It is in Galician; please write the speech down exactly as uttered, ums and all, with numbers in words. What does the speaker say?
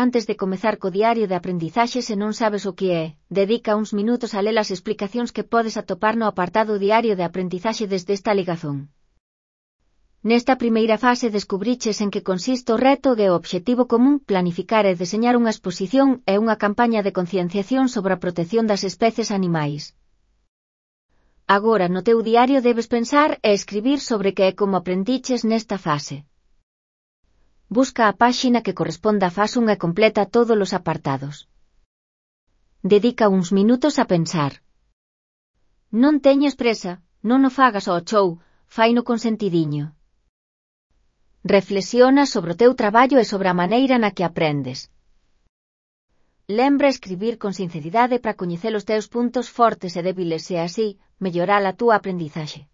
Antes de comezar co diario de aprendizaxe se non sabes o que é, dedica uns minutos a ler as explicacións que podes atopar no apartado diario de aprendizaxe desde esta ligazón. Nesta primeira fase descubriches en que consiste o reto e o obxectivo común, planificar e deseñar unha exposición e unha campaña de concienciación sobre a protección das especies animais. Agora no teu diario debes pensar e escribir sobre que é como aprendiches nesta fase. Busca a páxina que corresponda á fase un e completa todos os apartados. Dedica uns minutos a pensar. Non teñes presa, non o fagas ao chou, faino con sentidiño. Reflexiona sobre o teu traballo e sobre a maneira na que aprendes. Lembra escribir con sinceridade para coñecer os teus puntos fortes e débiles e así, mellorar a túa aprendizaxe.